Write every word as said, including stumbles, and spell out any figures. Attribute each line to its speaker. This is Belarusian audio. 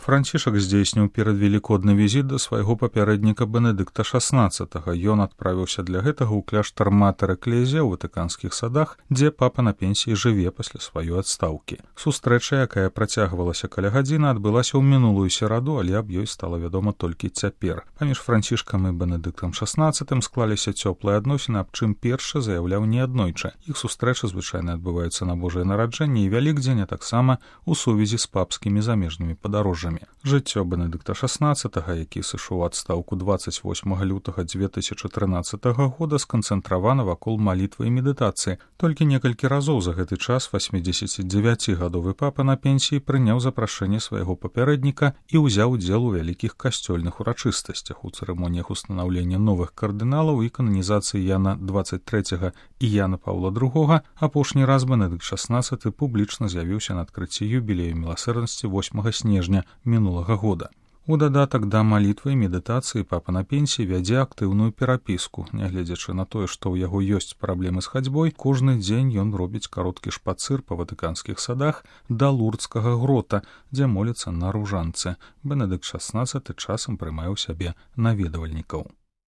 Speaker 1: Францішак здзейсніў перадвелікодны візіт да свайго папярэдніка Бенедыкта шаснаццатага. Ён адправіўся для гэтага ў кляштар Матэр Эклезія ў ватыканскіх садах, дзе папа на пенсіі жыве пасля сваёй адстаўкі. Сустрэча, якая працягвалася каля гадзіны, адбылася ў мінулую сераду, але аб ёй стала вядома толькі цяпер. Паміж Францішкам і Бенедыктам шаснаццатым склаліся цёплыя адносіны, аб чым першы заяўляў неаднойчы. Іх сустрэчы звычайна адбываюцца на Божае нараджэнне і Вялікдзень, а таксама у сувязі з папскімі замежнымі падарожжамі. Жыццё Бенедыкта шаснаццатага, які сышоў у адстаўку дваццаць восьмага лютага дзве тысячы трынаццатага года, сканцэнтравана вакол малітвы і медытацыі. Толькі некалькі разоў за гэты час васьмідзесяцідзевяцігадовы папа на пенсіі прыняў запрашэнне свайго папярэдніка і ўзяў удзел у вялікіх касцёльных урачыстасцях, у цырымоніях устанаўлення новых кардыналаў і кананізацыі Яна дваццаць трэцяга і Яна Паўла другога. Апошні раз Бенедыкт шаснаццаты публічна з'явіўся на адкрыцці юбілею міласэрнасці восьмага снежня мінулага года. У дадатак да малітвы і медытацыі папа на пенсіі вядзе актыўную перапіску. Нягледзячы на тое, што ў яго ёсць праблемы з хадзьбой, кожны дзень ён робіць кароткі шпацыр па ватыканскіх садах да Лурдскага грота, дзе моліцца на ружанцы. Бенедыкт шаснаццаты часам прымае ў сябе наведвальнікаў.